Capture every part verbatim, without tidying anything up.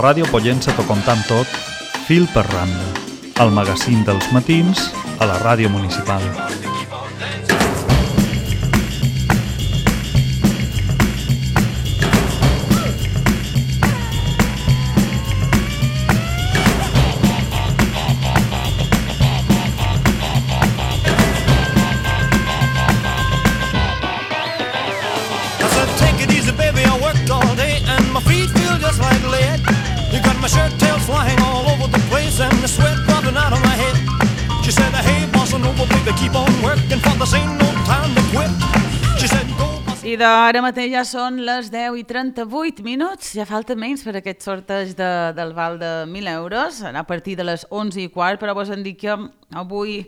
Ràdio Pollença t'ho contant tot, fil per randa. El magazín dels matins a la ràdio municipal. I d'ara mateix ja són les deu i trenta-vuit minuts, ja falta menys per aquest sorteig de, del val de mil euros, a partir de les onze i quart, però vos en dic que avui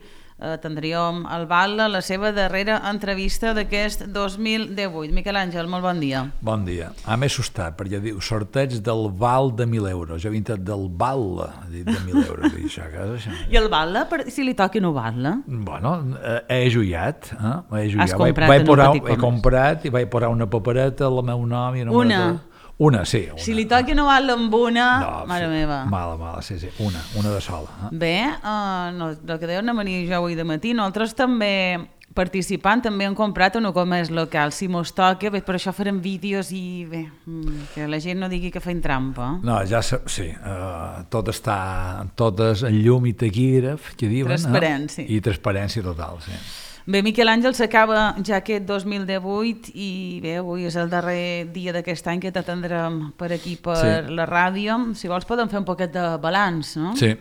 eh, tindríem el val a la seva darrera entrevista d'aquest dos mil divuit. Miquel Àngel, molt bon dia. Bon dia. Ah, m'he assustat, perquè diu sorteig del val de mil euros. Jo he vingut del val de mil euros. I, això, això. I el val, si li toqui no val? Bueno, he ajuiat. Eh? He ajuiat. Has comprat vaig, vaig en un posar, petit comerç. He comprat i vaig posar una papereta al meu nom. I una? Una, sí. Una. Si li toqui no val amb una, no, mare sí, meva. Mala, mala, sí, sí. Una, una de sola. Eh? Bé, uh, no, el que deuen venir jo avui de matí, nosaltres també participant, també hem comprat un comerç local, si mos toca, bé, per això farem vídeos i bé, que la gent no digui que feim trampa. No, ja sí, uh, tot està, tot és en llum i taquígraf, que diuen. Transparència. Eh? I transparència total, sí. Bé, Miquel Àngel, s'acaba ja aquest dos mil divuit i bé, avui és el darrer dia d'aquest any que t'atendrem per aquí, per sí. la ràdio. Si vols podem fer un poquet de balanç, no? Sí.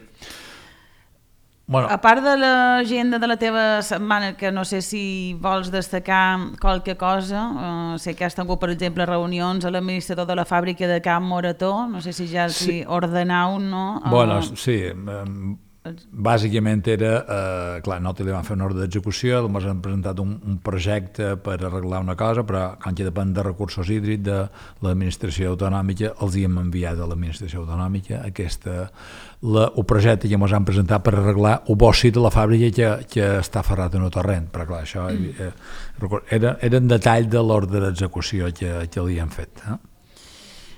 Bueno. A part de l'agenda de la teva setmana, que no sé si vols destacar qualque cosa, uh, sé que has tingut, per exemple, reunions a l'administrador de la fàbrica de Camp Morató, no sé si ja els sí. ordenau, no? Uh, bueno, sí, um... bàsicament era, eh, clar, nosaltres li vam fer una ordre d'execució, ens han presentat un, un projecte per arreglar una cosa, però com que depèn de recursos hídrics de l'administració autonòmica, els hi hem enviat a l'administració autonòmica aquesta, la, el projecte que ens han presentat per arreglar el bossi de la fàbrica que, que està ferrat en el torrent, però clar, això eh, era, era en detall de l'ordre d'execució que, que li hem fet. Eh?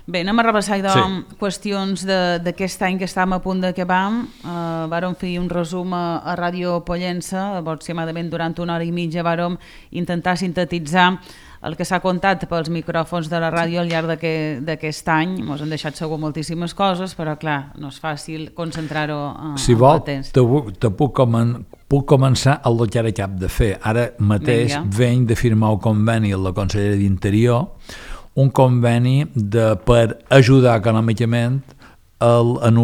Bé, anem a repassar sí. qüestions d'aquest any que estàvem a punt d'acabar. Uh, vàrem fer un resum a, a Ràdio Pollença, aproximadament durant una hora i mitja vàrem intentar sintetitzar el que s'ha contat pels micròfons de la ràdio al llarg d'aquest any. Ens han deixat segur moltíssimes coses, però clar, no és fàcil concentrar-ho uh, si vol, en el temps. Si vol, te puc, comen, puc començar el que ara cap de fer. Ara mateix Venga. venc de firmar un conveni amb la Conselleria d'Interior, un conveni de, per ajudar econòmicament en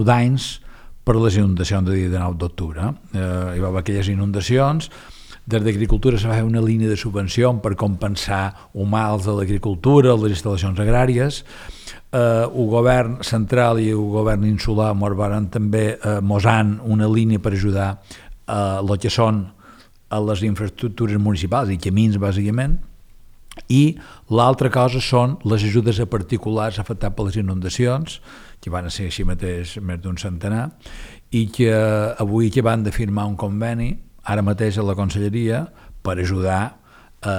danys per les inundacions del dia de nou d'octubre. Eh, hi va haver aquelles inundacions, des d'Agricultura se va fer una línia de subvenció per compensar els mals de l'agricultura, les instal·lacions agràries. Eh, el govern central i el govern insular mos van també eh, mosant una línia per ajudar a el que són a les infraestructures municipals i camins, bàsicament. I l'altra cosa són les ajudes a particulars afectats per les inundacions, que van ser així mateix més d'un centenar, i que avui que van de firmar un conveni, ara mateix a la Conselleria, per ajudar a,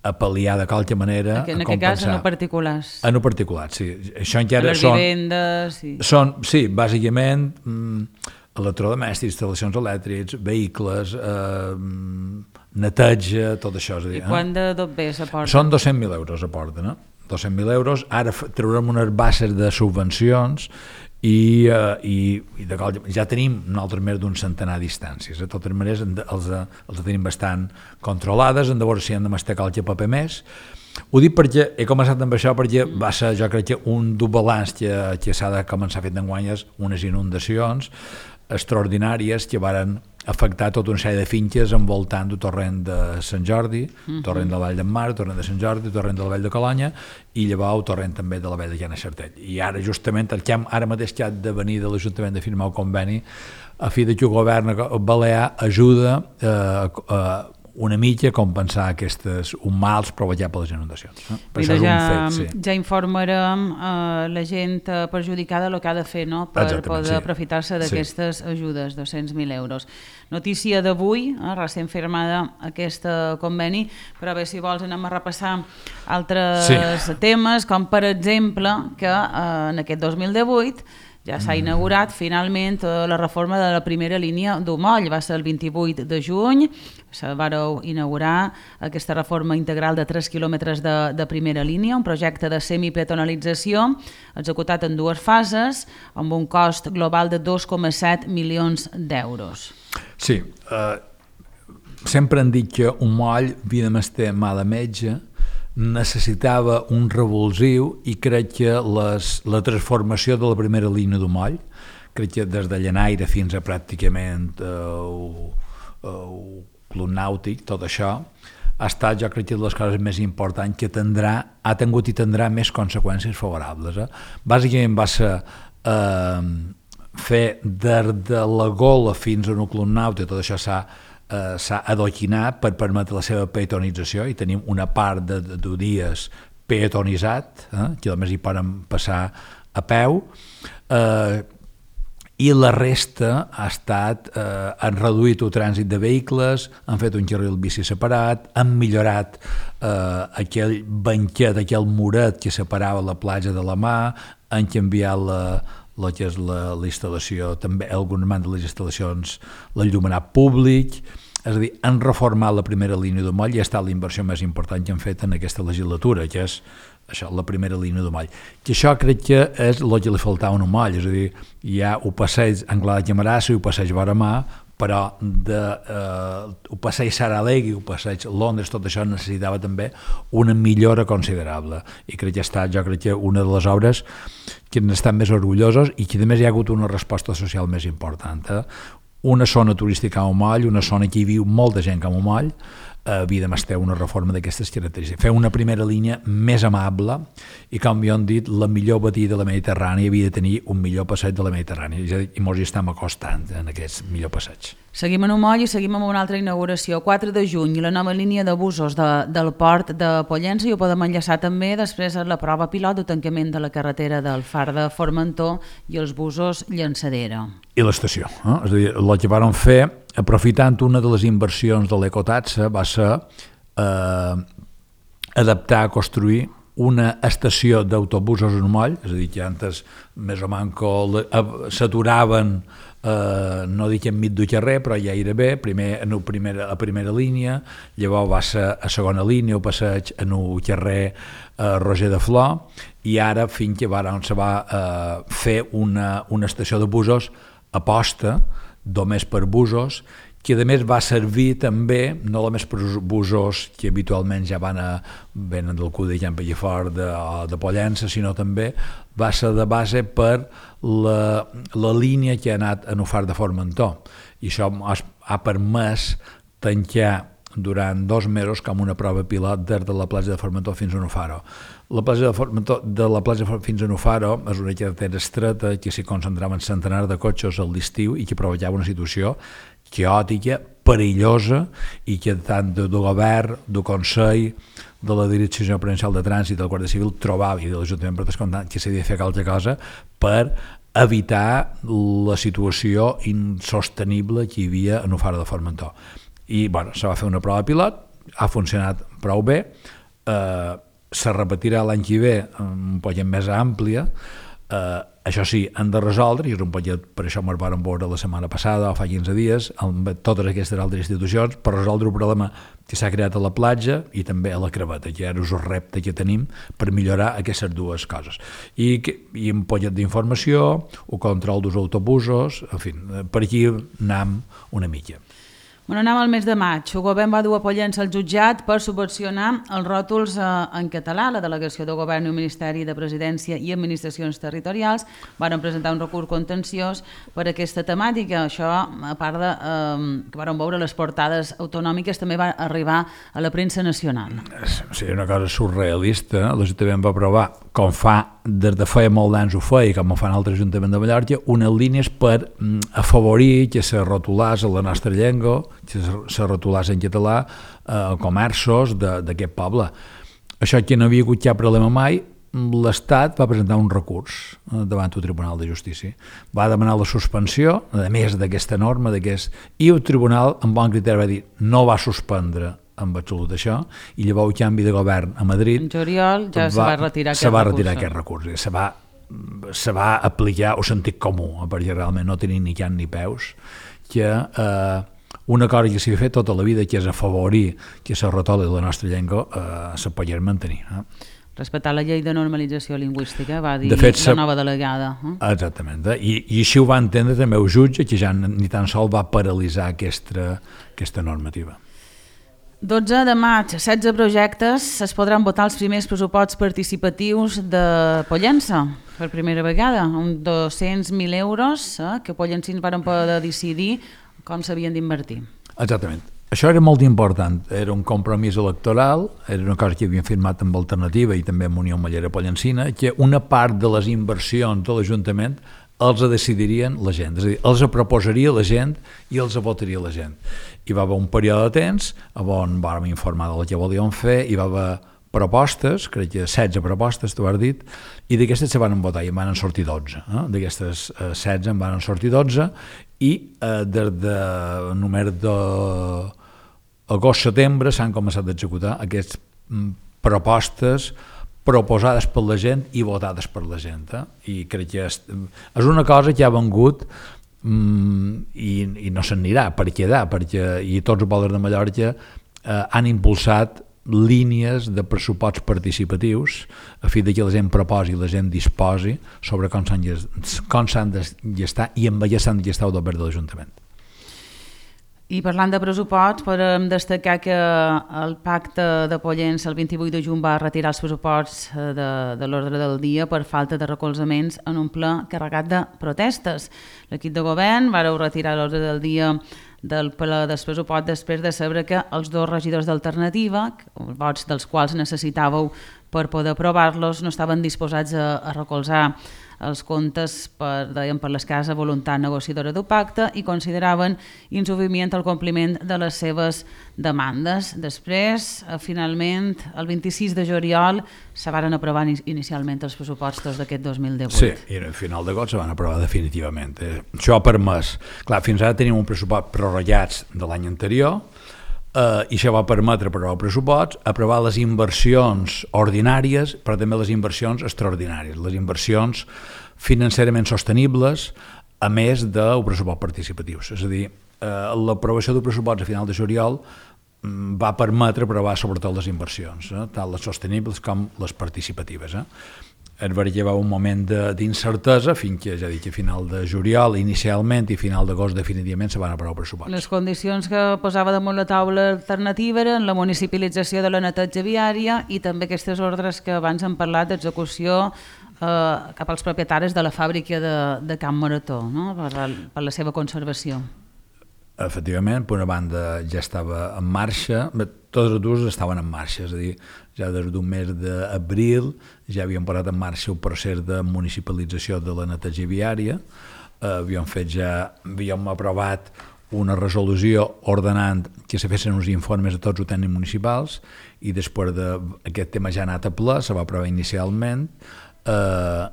a pal·liar de qualque manera, en a compensar. En aquest cas, en particulars. En particulars, sí. Això encara les són, vivendes... Sí. Són, sí, bàsicament... Mm, electrodomèstics, instal·lacions elèctrics, vehicles, eh, neteja, tot això. És a dir, I quant de tot bé s'aporta? Són dos-cents mil euros aporten, no? dos-cents mil euros. Ara traurem unes bases de subvencions i, eh, i, i de, ja tenim nosaltres més d'un centenar de distàncies. De totes maneres, els, els tenim bastant controlades, hem de veure si hem de mastecar qualque paper més. Ho dic perquè he començat amb això perquè va ser, jo crec que un dur balanç que, que s'ha de començar a fer d'enguany és unes inundacions extraordinàries que varen afectar tota una sèrie de finques envoltant el torrent de Sant Jordi, uh-huh. torrent de la Vall d'en Mar, torrent de Sant Jordi, torrent de la Vall de Colonya i llavors el torrent també de la Vall de Llana Xartell. I ara justament el que hem, ara mateix que ha de venir de l'Ajuntament de firmar el conveni a fi de que el govern balear ajuda eh, a una mitja compensar aquestes un mals provocats per les inundacions. Eh? Per això és ja, un fet, sí. Ja informarem uh, la gent perjudicada el que ha de fer, no?, per Exactament, poder sí. aprofitar-se d'aquestes sí. ajudes, dos-cents mil euros. Notícia d'avui, eh, recent firmada aquest conveni, però bé, si vols anem a repassar altres sí. temes, com per exemple que uh, en aquest dos mil divuit ja s'ha inaugurat finalment la reforma de la primera línia d'Umoll. Va ser el vint-i-vuit de juny, se vareu inaugurar aquesta reforma integral de tres quilòmetres de, de primera línia, un projecte de semipeatonalització executat en dues fases amb un cost global de dos coma set milions d'euros. Sí, eh, sempre han dit que Umoll havia de mestre mal a metge, necessitava un revulsiu i crec que les, la transformació de la primera línia d'Umoll, crec que des de Llanaire fins a pràcticament el uh, Club Nàutic, tot això ha estat, jo crec que de les coses més importants que tindrà, ha tingut i tindrà més conseqüències favorables. Eh? Bàsicament va ser eh, fer des de la Gola fins a un Club Nàutic, tot això s'ha Uh, s'ha adoquinat per permetre la seva peatonització i tenim una part de, de, de dies peatonitzat, eh, que a més hi poden passar a peu, uh, i la resta ha estat, uh, han reduït el trànsit de vehicles, han fet un carril bici separat, han millorat uh, aquell banquet, aquell muret que separava la platja de la mà, han canviat la el que és la, la instal·lació, també algunes de les instal·lacions, l'enllumenat públic, és a dir, han reformat la primera línia d'Umoll i ha estat la inversió més important que han fet en aquesta legislatura, que és això, la primera línia d'Umoll. Que això crec que és el que li faltava a Umoll, és a dir, hi ha el passeig Anglada de Camarassa i el passeig Varamà, però de, eh, el passeig Saralegui, el passeig Londres, tot això necessitava també una millora considerable i crec que ha estat, jo crec que una de les obres que n'estan més orgullosos i que a més hi ha hagut una resposta social més important. Eh? Una zona turística a Umoll, una zona que hi viu molta gent com a Umoll, eh, havia de mestre una reforma d'aquestes característiques. Fer una primera línia més amable i, com ja han dit, la millor badia de la Mediterrània havia de tenir un millor passeig de la Mediterrània i molts hi estem acostant en aquest millor passeig. Seguim en Umoll i seguim amb una altra inauguració. quatre de juny, la nova línia de busos de, del port de Pollença, i ho podem enllaçar també després a la prova pilot de tancament de la carretera del Far de Formentor i els busos Llançadera. I l'estació. Eh? És a dir, el que van fer, aprofitant una de les inversions de l'ecotaxa, va ser eh, adaptar, construir una estació d'autobusos en Umoll, és a dir, que antes més o manco s'aturaven, eh, no dic enmig del carrer, però ja era bé, primer en el primera, a primera línia, llavors va ser a segona línia, el passeig en el carrer eh, Roger de Flor, i ara fins que va, on se va eh, fer una, una estació de busos a posta, només per busos, que a més va servir també, no només per busos que habitualment ja van a, venen del cul de Can Pellifort de, de Pollença, sinó també va ser de base per la, la línia que ha anat a Nufar de Formentor. I això ha, ha permès tancar durant dos mesos com una prova pilot des de la platja de Formentor fins a Nufaro. La platja de Formentor, de la platja fins a Nufaro és una carretera estreta que s'hi concentraven centenars de cotxes a l'estiu i que provocava una situació caòtica, perillosa, i que tant de, de govern, del Consell, de la Direcció Provincial de Trànsit, del Guàrdia Civil, trobava, i de l'Ajuntament per descomptat, que s'havia de fer qualque cosa per evitar la situació insostenible que hi havia a Nufara de Formentor. I bueno, se va fer una prova pilot, ha funcionat prou bé, eh, se repetirà l'any que ve un poc més àmplia, eh, això sí, han de resoldre, i és un poquet, per això ens vam veure la setmana passada o fa quinze dies, amb totes aquestes altres institucions, per resoldre un problema que s'ha creat a la platja i també a la Creveta, que ara és el repte que tenim per millorar aquestes dues coses. I, i un poquet d'informació, el control dels autobusos, en fi, per aquí anem una mica. Bueno, anem al mes de maig. El govern va dur a Pollença al jutjat per subvencionar els ròtols eh, en català. La delegació de govern i el Ministeri de Presidència i Administracions Territorials van presentar un recurs contenciós per aquesta temàtica. Això, a part de eh, que van veure les portades autonòmiques, també va arribar a la premsa nacional. Sí, una cosa surrealista. L'Ajuntament va aprovar, com fa des de feia molt d'anys ho feia, com ho fan altres ajuntaments de Mallorca, unes línies per afavorir que se rotulàs a la nostra llengua, se rotulàs en català eh, comerços d'aquest poble. Això que no havia hagut cap problema mai, l'Estat va presentar un recurs davant el Tribunal de Justícia. Va demanar la suspensió, a més d'aquesta norma, d'aquest... i el Tribunal, amb bon criteri, va dir no va suspendre amb absolut això, i llavors el canvi de govern a Madrid... En juliol ja va, se va retirar aquest se va recurs. retirar aquest recurs. Se va, se va aplicar el sentit comú, perquè realment no tenia ni can ni peus, que eh, una cosa que s'hi ha fet tota la vida, que és afavorir que se retoli la nostra llengua, eh, se pogués mantenir. Eh? Respectar la llei de normalització lingüística, va dir de fet, la nova delegada. Eh? Exactament. Eh? I, I així ho va entendre també el jutge, que ja ni tan sol va paralitzar aquesta, aquesta normativa. dotze de maig, setze projectes, es podran votar els primers pressuposts participatius de Pollença, per primera vegada, amb dos-cents mil euros eh, que pollensins van poder decidir com s'havien d'invertir. Exactament. Això era molt important, era un compromís electoral, era una cosa que havien firmat amb Alternativa i també amb Unió Mallera Pollencina, que una part de les inversions de l'Ajuntament els decidirien la gent, és a dir, els proposaria la gent i els votaria la gent. Hi va haver un període de temps on vam informar del que volíem fer, hi va haver propostes, crec que setze propostes, t'ho has dit, i d'aquestes se van votar i en van sortir dotze. Eh? D'aquestes eh, setze en van sortir dotze i eh, des de només de agost-setembre s'han començat a executar aquestes propostes proposades per la gent i votades per la gent. Eh? I crec que és, és una cosa que ha vengut mm, i, i no s'anirà per quedar, perquè i tots els pobles de Mallorca eh, han impulsat línies de pressuposts participatius a fi de que la gent proposi i la gent disposi sobre com s'han de gestar i amb allà s'han de gestar el govern de l'Ajuntament. I parlant de pressupost, podem destacar que el pacte de Pollença el vint-i-vuit de juny va retirar els pressuposts de, de l'ordre del dia per falta de recolzaments en un ple carregat de protestes. L'equip de govern va retirar l'ordre del dia del ple del pressupost després de saber que els dos regidors d'Alternativa, vots dels quals necessitàveu per poder aprovar-los, no estaven disposats a, a recolzar els comptes per, deien, per l'escassa voluntat negociadora del pacte i consideraven insuficient el compliment de les seves demandes. Després, finalment, el vint-i-sis de juliol, se van aprovar inicialment els pressupostos d'aquest dos mil divuit. Sí, i al final d'agost se van aprovar definitivament. Això ha permès... Clar, fins ara tenim un pressupost prorrogats de l'any anterior, Uh, i això va permetre aprovar el pressupost, aprovar les inversions ordinàries, però també les inversions extraordinàries, les inversions financerament sostenibles, a més del pressupost participatiu. És a dir, uh, l'aprovació del pressupost a final de juliol um, va permetre aprovar sobretot les inversions, eh, tant les sostenibles com les participatives. Eh? Es va llevar un moment d'incertesa fins que, ja dic, a final de juliol inicialment i final d'agost definitivament se van aprovar el pressupost. Les condicions que posava damunt la taula alternativa eren la municipalització de la neteja viària i també aquestes ordres que abans hem parlat d'execució eh, cap als propietaris de la fàbrica de, de Camp Marató, no? per, la, per la seva conservació. Efectivament, per una banda ja estava en marxa, tots els dos estaven en marxa, és a dir, ja des d'un mes d'abril ja havíem posat en marxa el procés de municipalització de la neteja viària, eh, havíem fet ja, havíem aprovat una resolució ordenant que se fessin uns informes a tots els tècnics municipals i després d'aquest tema ja ha anat a ple, se va aprovar inicialment eh,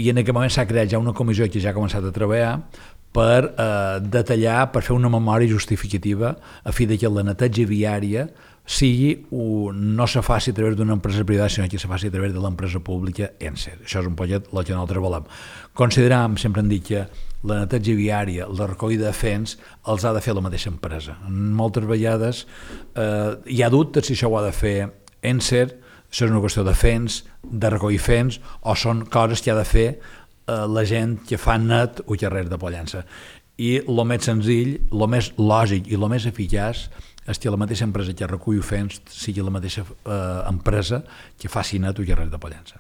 i en aquest moment s'ha creat ja una comissió que ja ha començat a treballar per eh, detallar, per fer una memòria justificativa a fi de que la neteja viària sigui, un, no se faci a través d'una empresa privada, sinó que se faci a través de l'empresa pública ENSER. Això és un poquet el que nosaltres volem. Consideram, sempre hem dit que la neteja viària, la recollida de fens, els ha de fer la mateixa empresa. Moltes vegades eh, hi ha dubtes si això ho ha de fer ENSER, això és una qüestió de fens, de recollir fens, o són coses que ha de fer la gent que fa net o carrer de Pollença. I el més senzill, el més lògic i el més eficaç és que la mateixa empresa que recull fens sigui la mateixa eh, empresa que faci net o carrer de Pollença.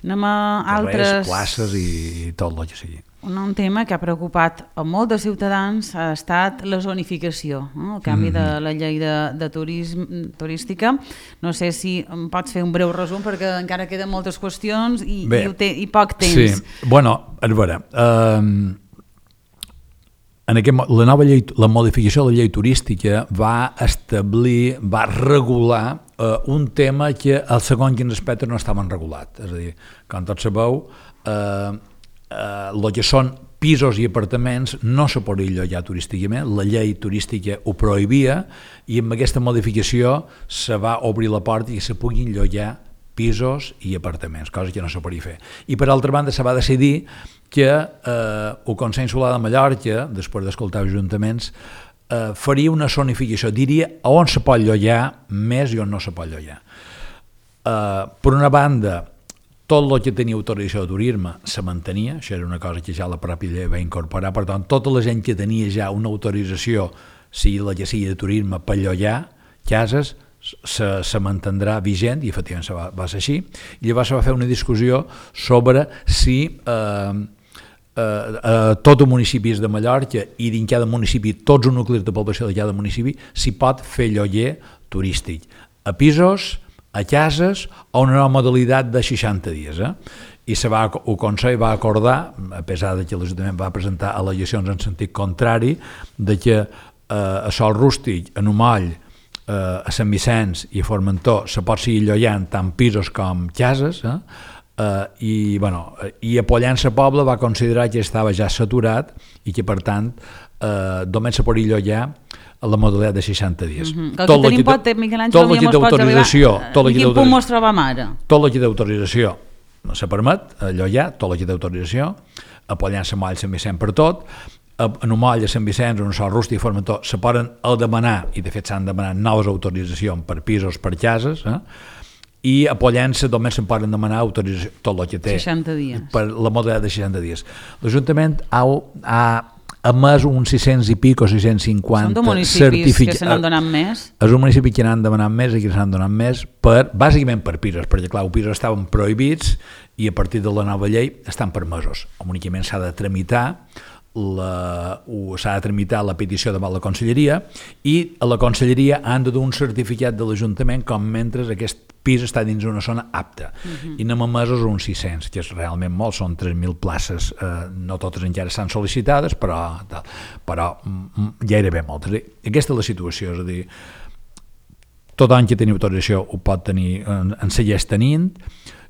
Anem a altres... Carrers, places i, i tot el que sigui. Un tema que ha preocupat a molts de ciutadans ha estat la zonificació, no? El canvi mm-hmm. de la llei de, de turisme, turística. No sé si em pots fer un breu resum perquè encara queden moltes qüestions i, Bé, i, te, i poc temps. Sí, bueno, a veure, eh, en aquest, la nova llei, la modificació de la llei turística va establir, va regular eh, un tema que al segon quins aspectes no estaven regulats. És a dir, com tots sabeu, eh, eh, el que són pisos i apartaments no se podria llogar turísticament, la llei turística ho prohibia i amb aquesta modificació se va obrir la porta i se puguin llogar pisos i apartaments, cosa que no se podia fer. I per altra banda se va decidir que eh, el Consell Insular de Mallorca, després d'escoltar els ajuntaments, eh, faria una zonificació, diria on se pot llogar més i on no se pot llogar. Eh, per una banda, tot el que tenia autorització de turisme se mantenia, això era una cosa que ja la pròpia llei va incorporar, per tant, tota la gent que tenia ja una autorització, sigui la que sigui de turisme, per llogar cases, se, se mantindrà vigent, i efectivament va, va ser així, i llavors se va fer una discussió sobre si eh, eh, eh, tot els municipis de Mallorca i dins cada municipi, tots els nuclis de població de cada municipi, s'hi pot fer lloguer turístic, a pisos, a cases, o una nova modalitat de seixanta dies. Eh? I se va, el Consell va acordar, a pesar de que l'Ajuntament va presentar al·legacions en sentit contrari, de que eh, a Sol Rústic, a Numoll, eh, a Sant Vicenç i a Formentor se pot seguir llogant tant pisos com cases, eh? Eh, i, bueno, i a Pollença Poble va considerar que estava ja saturat i que per tant eh, només se podia llogar a la modalitat de seixanta dies. Mm-hmm. Tot el que pot, Miquel Àngel, tot el que d'autorització, en quin punt mos trobam ara? Tot el que d'autorització no se permet llogar, tot el que d'autorització, a Pollença, Moll, Sant Vicenç per tot, a Numoll, a Sant Vicenç, a Sol Rústic i Formentor se poden demanar, i de fet s'han demanat noves autoritzacions per pisos, per cases, eh? I a Pollença només se'n poden demanar autorització, tot el que té seixanta dies. Per la modalitat de seixanta dies. L'Ajuntament ha, ha a més uns sis-cents i pic o sis-cents cinquanta certificats. Són de municipis certific... que se n'han donat més? És un municipi que n'han demanat més i que s'han donat més, per, bàsicament per pisos, perquè clar, els pisos estaven prohibits i a partir de la nova llei estan permesos. Únicament s'ha de tramitar la, s'ha de tramitar la petició davant la Conselleria i a la Conselleria han de dur un certificat de l'Ajuntament com mentre aquest pis està dins una zona apta. Uh-huh. I n'hem emesos uns sis-cents, que és realment molt, són tres mil places, eh, no totes encara estan sol·licitades, però, però gairebé moltes. Aquesta és la situació, és a dir, tot any que teniu autorització ho pot tenir, en, en segueix tenint,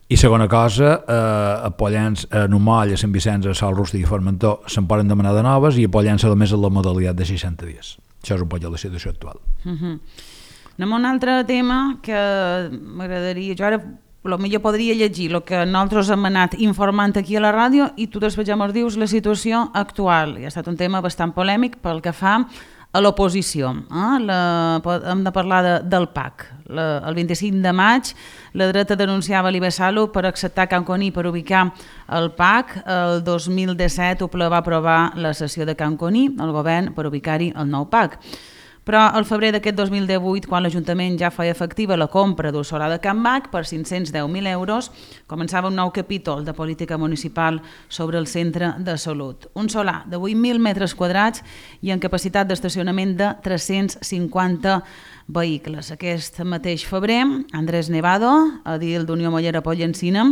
i segona cosa, eh, a Pollença, a Numoll, a Sant Vicenç, a Sol Rústic i Formentor se'n poden demanar de noves i a Pollença només en la modalitat de seixanta dies. Això és un poc la situació actual. Uh-huh. Anem a un altre tema que m'agradaria, jo ara potser podria llegir el que nosaltres hem anat informant aquí a la ràdio i tu després ja ens dius la situació actual. I ha estat un tema bastant polèmic pel que fa a l'oposició. Eh? La, hem de parlar de, del P A C. La, el vint-i-cinc de maig la dreta denunciava l'I B S Salut per acceptar Can Coní per ubicar el P A C. El dos mil disset el ple va aprovar la cessió de Can Coní, el govern per ubicar-hi el nou P A C. Però al febrer d'aquest dos mil divuit, quan l'Ajuntament ja feia efectiva la compra d'un solar de Can Bac per cinc-cents deu mil euros, començava un nou capítol de política municipal sobre el centre de salut. Un solar de vuit mil metres quadrats i amb capacitat d'estacionament de tres-cents cinquanta vehicles. Aquest mateix febrer, Andrés Nevado, edil d'Unió Mollera Pollencina,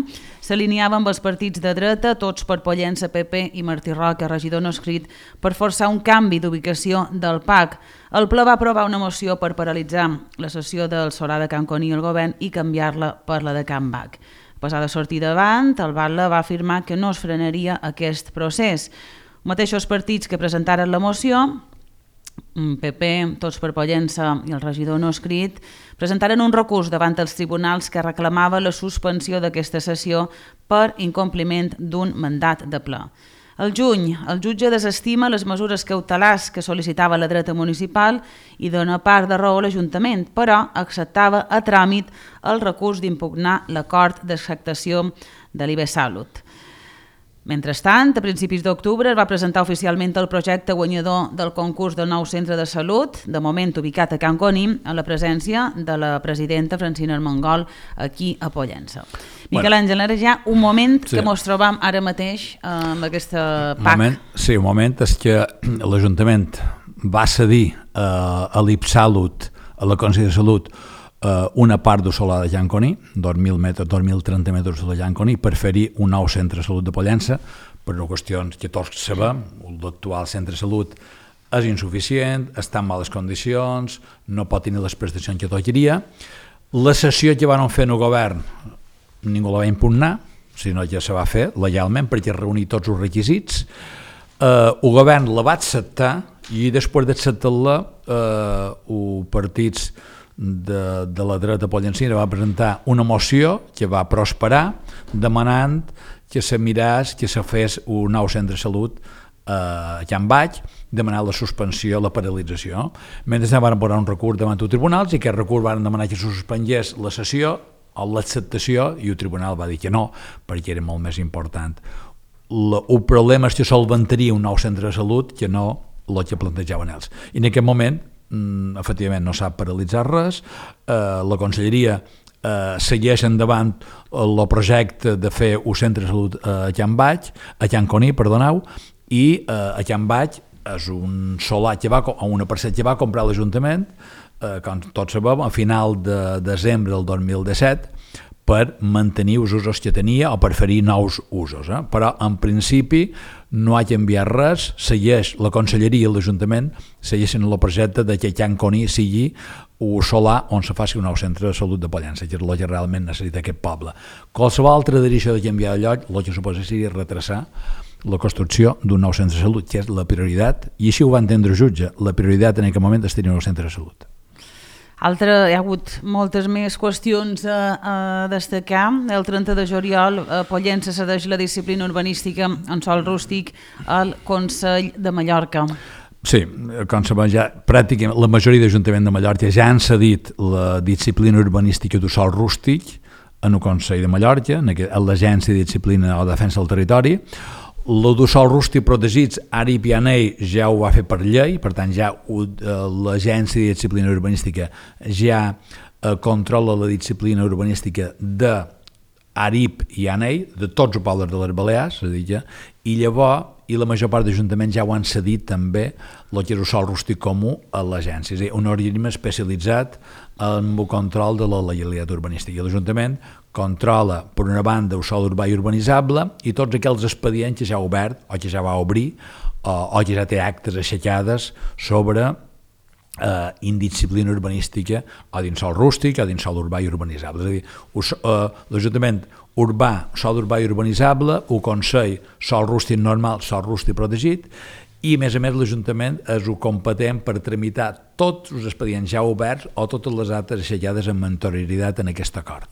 s'alineava amb els partits de dreta, tots per Pollença, P P i Martí Roca, regidor no escrit, per forçar un canvi d'ubicació del P A C. El ple va aprovar una moció per paralitzar la sessió del solar de Can Coní al govern i canviar-la per la de Can Bac. A pesar de sortir davant, el Batlle va afirmar que no es frenaria aquest procés. Mateixos partits que presentaren la moció, P P, Tots per Pollença i el regidor no escrit, presentaren un recurs davant els tribunals que reclamava la suspensió d'aquesta sessió per incompliment d'un mandat de ple. Al juny, el jutge desestima les mesures cautelars que sol·licitava la dreta municipal i dona part de raó a l'Ajuntament, però acceptava a tràmit el recurs d'impugnar l'acord d'acceptació de l'I B S Salut. Mentrestant, a principis d'octubre es va presentar oficialment el projecte guanyador del concurs del nou centre de salut, de moment ubicat a Can Coní, a la presència de la presidenta Francina Armengol aquí a Pollença. Miquel Àngel, ara ja un moment sí. que ens trobam ara mateix amb aquesta P A C. Moment, sí, un moment és que l'Ajuntament va cedir eh, a l'I B S Salut, a la Conselleria de Salut, eh, una part del solar de Llanconí, dos mil metres, dos mil trenta metres de Llanconí, per fer-hi un nou centre de salut de Pollença, per una qüestió que tots sabem, l'actual centre de salut és insuficient, està en males condicions, no pot tenir les prestacions que tocaria. La sessió que van fer en el govern ningú la va impugnar, sinó que se va fer legalment perquè reunir tots els requisits. Eh, el govern la va acceptar i després d'acceptar-la eh, els partits de, de la dreta pollencina va presentar una moció que va prosperar demanant que se mirés, que se fes un nou centre de salut a Can Baix, demanar la suspensió, la paralització. Mentre van posar un recurs davant els tribunals i aquest recurs van demanar que se suspengués la sessió o l'acceptació i el tribunal va dir que no, perquè era molt més important. La, el problema és que solventaria un nou centre de salut que no el que plantejaven ells. I en aquest moment, mm, efectivament, no s'ha paralitzat res, eh, la Conselleria eh, segueix endavant el projecte de fer un centre de salut a Can Baix, a Can Coní, perdoneu, i eh, a Can Baix és un solar que va, o una parcel·la que va comprar l'Ajuntament, eh, com tots sabem, a final de desembre del dos mil disset, per mantenir els usos que tenia o per fer-hi nous usos. Eh? Però, en principi, no ha canviat res, segueix la Conselleria i l'Ajuntament, segueixen el projecte de que Can Coní sigui un solar on se faci un nou centre de salut de Pollença, que és el que realment necessita aquest poble. Qualsevol altra direcció de canviar de lloc, el que suposa seria retrasar la construcció d'un nou centre de salut, que és la prioritat, i així ho va entendre el jutge. La prioritat en aquest moment és tenir un nou centre de salut. Altra, hi ha hagut moltes més qüestions a, a destacar. El trenta de juliol a Pollença cedeix la disciplina urbanística en sòl rústic al Consell de Mallorca. Sí, com sabem ja, pràcticament la majoria d'Ajuntament de Mallorca ja han cedit la disciplina urbanística del sòl rústic en el Consell de Mallorca, en l'Agència de Disciplina o Defensa del Territori. El del sòl rústic protegits, ara i Pianell ja ho va fer per llei, per tant ja l'Agència de Disciplina Urbanística ja eh, controla la disciplina urbanística de Arip i Anell, de tots els pobles de les Balears, és a dir, ja, i llavors i la major part d'ajuntaments ja ho han cedit també el que és el sòl rústic comú a l'agència, és a dir, un organisme especialitzat en el control de la legalitat urbanística. I l'Ajuntament controla, per una banda, el sòl urbà i urbanitzable i tots aquells expedients que ja ha obert o que ja va obrir o, o que ja té actes aixecades sobre eh, indisciplina urbanística o dins sòl rústic o dins sòl urbà i urbanitzable. És a dir, us, eh, l'Ajuntament urbà, sòl urbà i urbanitzable, el Consell, sòl rústic normal, sòl rústic protegit, i a més a més l'Ajuntament és el competent per tramitar tots els expedients ja oberts o totes les altres aixecades amb anterioritat en aquest acord.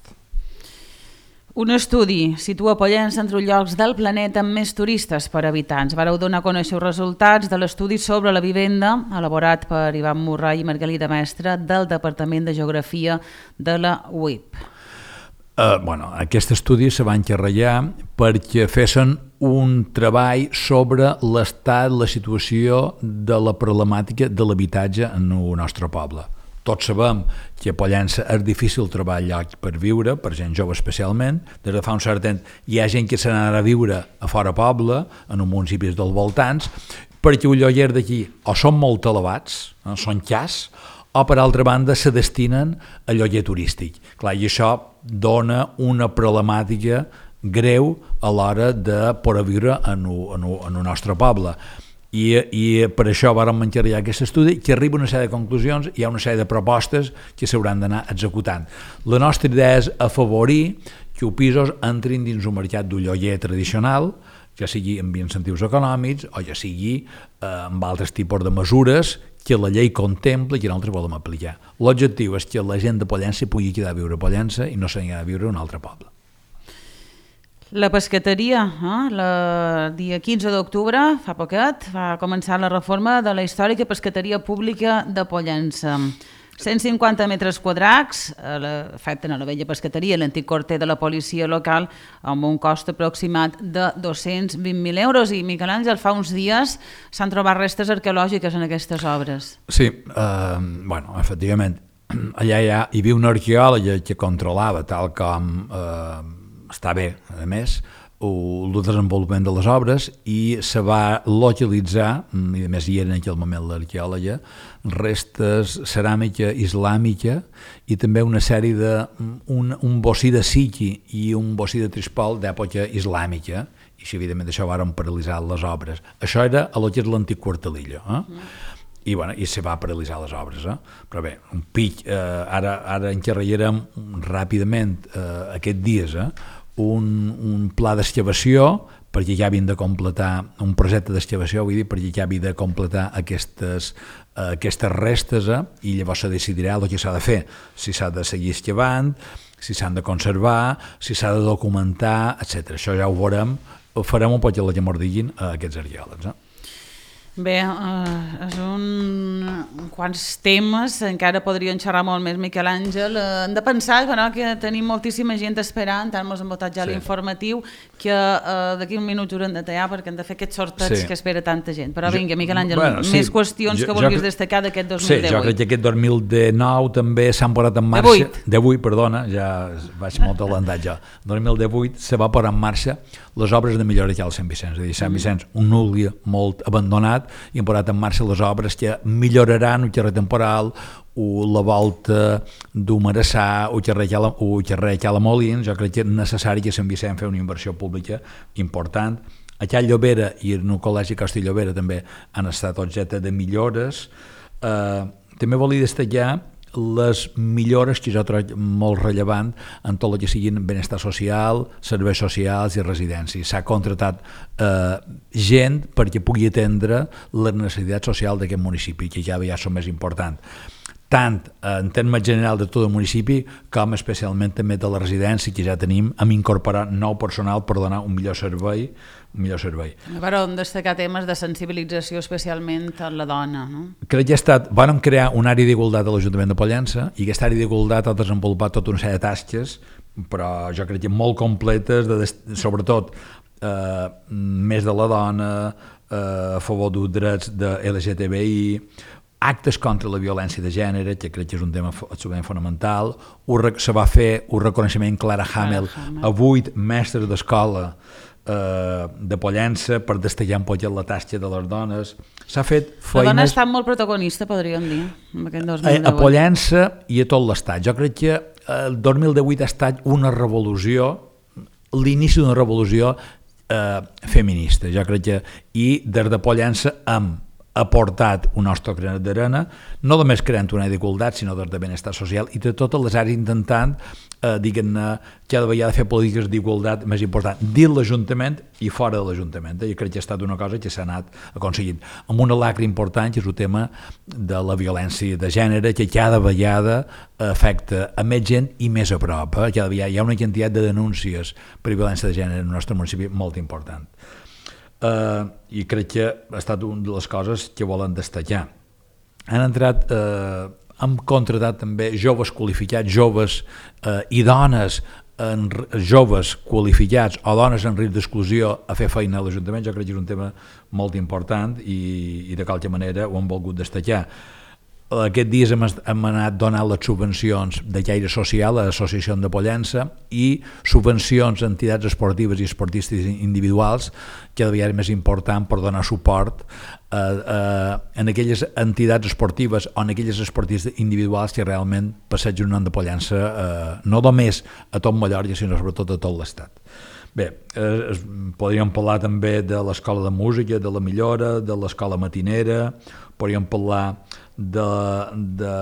Un estudi situa Pollença entre els llocs del planeta amb més turistes per habitants. Vareu donar a conèixer els resultats de l'estudi sobre la vivenda elaborat per Ivan Murray i Margalida Mestre del Departament de Geografia de la U I P. Uh, bueno, aquest estudi se va encarregar perquè fessin un treball sobre l'estat, la situació de la problemàtica de l'habitatge en el nostre poble. Tots sabem que a Pollença és difícil trobar lloc per viure, per gent jove especialment. Des de fa un cert temps hi ha gent que se n'anarà a viure a fora poble, en els municipis dels voltants, perquè els lloguers d'aquí o són molt elevats, eh, són cas, o per altra banda se destinen a lloguer turístic. Clar, i això dona una problemàtica greu a l'hora de poder viure en el, en el, en el nostre poble. I, i per això vàrem encarregar aquest estudi que arriba a una sèrie de conclusions, hi ha una sèrie de propostes que s'hauran d'anar executant. La nostra idea és afavorir que els pisos entrin dins un mercat del lloguer tradicional, ja sigui amb incentius econòmics o ja sigui eh, amb altres tipus de mesures que la llei contempla i que nosaltres volem aplicar. L'objectiu és que la gent de Pollença pugui quedar a viure a Pollença i no s'hi ha de viure en un altre poble. La pescateria, eh? el dia quinze d'octubre, fa poquet, va començar la reforma de la històrica pescateria pública de Pollença. cent cinquanta metres quadrats afecten a la vella pescateria, l'antic quarter de la policia local, amb un cost aproximat de dos-cents vint mil euros. I, Miquel Àngel, fa uns dies s'han trobat restes arqueològiques en aquestes obres. Sí, eh, bueno, efectivament, allà hi, ha, hi havia una arqueòloga que controlava, tal com... Eh, està bé, a més, el desenvolupament de les obres i se va localitzar, i a més hi era en aquell moment l'arqueòloga, restes ceràmica islàmica i també una sèrie de un, un bocí de Siki i un bocí de Trispol d'època islàmica, i si evidentment això varen paralitzar les obres. Això era a lo que és l'antic Quartelillo, eh? Mm. I, bueno, i se va paralitzar les obres, eh? Però bé, un pic, eh, ara, ara encarregarem ràpidament eh, aquests dies, eh? Un, un pla d'excavació perquè ja havien de completar, un projecte d'excavació, vull dir, perquè ja havien de completar aquestes, eh, aquestes restes, eh, i llavors se decidirà el que s'ha de fer, si s'ha de seguir excavant, si s'han de conservar, si s'ha de documentar, etcètera. Això ja ho veurem, ho farem un poc a la que mos diguin a aquests arqueòlegs. Eh? Bé, eh, és un... quants temes, encara podrien xerrar molt més, Miquel Àngel. Eh, hem de pensar bueno, que tenim moltíssima gent esperant, tant ens hem votat ja sí. l'informatiu, que eh, d'aquí un minut haurem de tallar perquè hem de fer aquests sorteig sí. que espera tanta gent. Però jo, vinga, Miquel Àngel, bueno, més sí. qüestions jo, que vulguis jo, destacar d'aquest dos mil divuit. Sí, jo crec que aquest dos mil dinou també s'han posat en marxa... divuit. divuit, perdona, ja vaig molt adelantat ja. dos mil divuit se va posar en marxa les obres de millora que hi ha al Sant Vicenç. És a dir, Sant Vicenç, un nucli molt abandonat, i han posat en marxa les obres que milloraran el carrer Temporal, o la volta d'Humarassà, o el carrer Cala Molins. Jo crec que és necessari que Sant Vicenç fes una inversió pública important. A Cal Llobera i en el Col·legi Costa i Llobera també han estat objecte de millores. Eh, també volia destacar les millores que jo trobo molt rellevant en tot el que siguin benestar social, serveis socials i residències. S'ha contratat eh, gent perquè pugui atendre les necessitats socials d'aquest municipi, que ja, ja són més importants, tant en termes general de tot el municipi com especialment també de la residència, que ja tenim, hem incorporat nou personal per donar un millor servei. Un millor servei. Però hem destacar temes de sensibilització especialment a la dona, no? Crec que ha estat, vam crear una àrea d'igualtat a l'Ajuntament de Pollença i aquesta àrea d'igualtat ha desenvolupat tota una sèrie de tasques, però jo crec que molt completes, de, sobretot eh, més de la dona, eh, a favor dels drets de L G T B I, actes contra la violència de gènere, que crec que és un tema absolutament fonamental. Se va fer un reconeixement Clara Hamel a vuit mestres d'escola eh, de Pollença per destacar un poc la tasca de les dones. S'ha fet feines... La dona ha estat molt protagonista, podríem dir, en aquest dos mil divuit. A Pollença i a tot l'Estat. Jo crec que el dos mil divuit ha estat una revolució, l'inici d'una revolució eh, feminista. Jo crec que, i des de Pollença amb ha portat un nostre granet d'arena, no només creant una d'igualtat, sinó des de benestar social i de totes les àrees intentant, eh, diguem-ne, cada vegada fer polítiques d'igualtat més important dins l'Ajuntament i fora de l'Ajuntament. Jo crec que ha estat una cosa que s'ha anat aconseguint. Amb una lacra important, que és el tema de la violència de gènere, que cada vegada afecta a més gent i més a prop. Eh? Cada vegada hi ha una quantitat de denúncies per violència de gènere en el nostre municipi molt important. Uh, i crec que ha estat una de les coses que volen destacar. Han entrat, uh, han contratat també joves qualificats, joves uh, i dones en, joves qualificats o dones en risc d'exclusió a fer feina a l'Ajuntament. Jo crec que és un tema molt important i, i de qualque manera ho hem volgut destacar. Aquests dies hem, hem anat donant les subvencions de caire social a l'Associació de Pollença i subvencions a entitats esportives i esportistes individuals, que devia ser més important per donar suport a, a, en aquelles entitats esportives o en aquelles esportistes individuals que realment passegen un nom de Pollença eh, no només a tot Mallorca, sinó sobretot a tot l'Estat. Bé, eh, podríem parlar també de l'Escola de Música, de la Millora, de l'Escola Matinera, podríem parlar de, de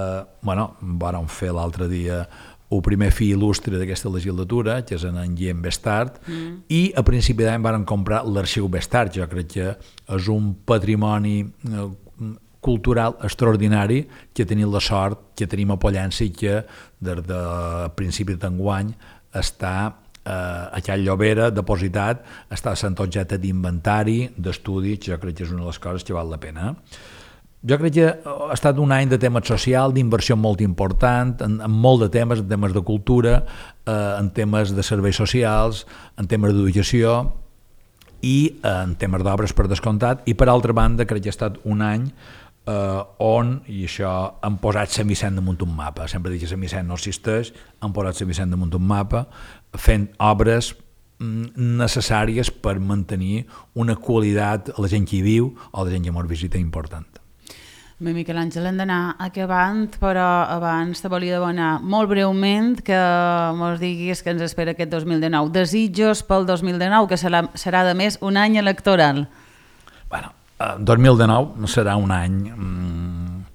bueno, vàrem fer l'altre dia el primer fi il·lustre d'aquesta legislatura, que és en Guillem Bestart, mm. i a principi d'any vàrem comprar l'Arxiu Bestart. Jo crec que és un patrimoni cultural extraordinari que tenim la sort que tenim a Pollença i que des de principi d'enguany està eh, a Cal Llobera depositat, està sent objecte d'inventari, d'estudi, que jo crec que és una de les coses que val la pena. Jo crec que ha estat un any de temes social, d'inversió molt important, en, en molt de temes, en temes de cultura, eh, en temes de serveis socials, en temes d'educació i eh, en temes d'obres per descomptat. I per altra banda crec que ha estat un any eh, on, i això, han posat Sant Vicent damunt un mapa. Sempre dic que Sant Vicent no existeix, han posat Sant Vicent damunt un mapa, fent obres necessàries per mantenir una qualitat a la gent que hi viu o la gent que mos visita important. Bé, Miquel Àngel, hem d'anar acabant, però abans te volia demanar molt breument que mos diguis què ens espera aquest dos mil dinou. Desitjos pel dos mil dinou, que serà, serà de més un any electoral. Bueno, dos mil dinou serà un any mm,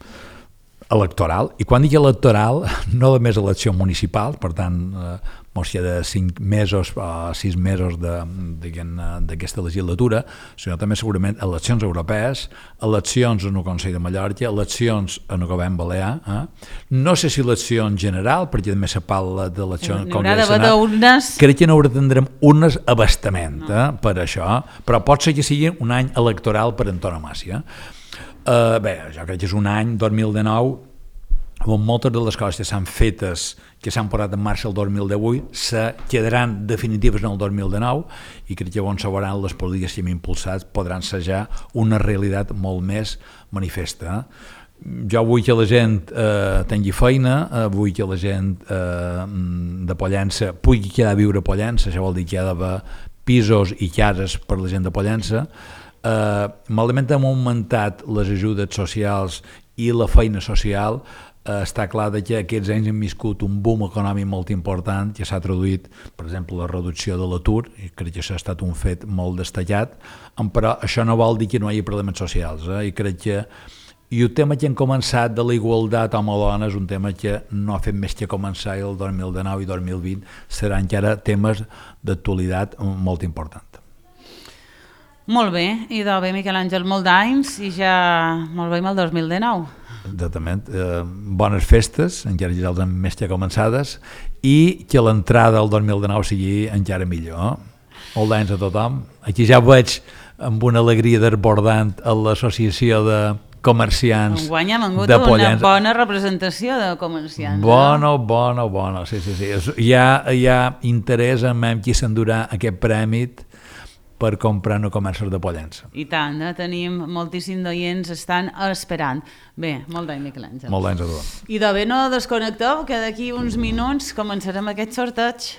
electoral, i quan dic electoral, no només eleccions municipals, per tant, eh, mos hi ha de cinc mesos o sis mesos d'aquesta legislatura, sinó també segurament eleccions europees, eleccions en el Consell de Mallorca, eleccions en el govern balear, eh? No sé si elecció en general, perquè també se parla d'eleccions en Congrés Senat. Crec que no tindrem unes abastament eh, no. per això, però pot ser que sigui un any electoral per antonomàsia. Uh, bé, jo crec que és un any, dos mil dinou, on moltes de les coses que s'han fetes, que s'han posat en marxa el dos mil divuit, se quedaran definitives en el dos mil dinou, i crec que on se veuran les polítiques que hem impulsat podran ser ja una realitat molt més manifesta. Jo vull que la gent eh, tingui feina, eh, vull que la gent eh, de Pollença pugui quedar a viure a Pollença, això vol dir que hi ha d'haver pisos i cases per la gent de Pollença. Uh, malament hem augmentat les ajudes socials i la feina social. Uh, està clar que aquests anys hem viscut un boom econòmic molt important que s'ha traduït, per exemple, la reducció de l'atur, i crec que això ha estat un fet molt destacat, però això no vol dir que no hi hagi problemes socials, eh? I crec que i el tema que hem començat de la igualtat home-dona és un tema que no ha fet més que començar, i el dos mil dinou i dos mil vint seran encara temes d'actualitat molt importants. Molt bé, i de bé, Miquel Àngel, molt d'anys i ja molt bé amb el dos mil dinou. Exactament. Eh, bones festes, encara ja els hem més que començades, i que l'entrada del dos mil dinou sigui encara millor. Molt d'anys a tothom. Aquí ja veig amb una alegria desbordant a l'associació de comerciants de Pollença. Hem hagut una bona representació de comerciants. Bona, no? bona, bona, sí, sí, sí. Hi ha, hi ha interès en qui s'endurà aquest premi per comprar no comerços de Pollença. I tant, eh? Tenim moltíssims d'oients estan esperant. Bé, molt d'any, Miquel Àngel. Molt d'anys a tothom. I de bé no desconnecteu, que d'aquí uns minuts començarem aquest sorteig.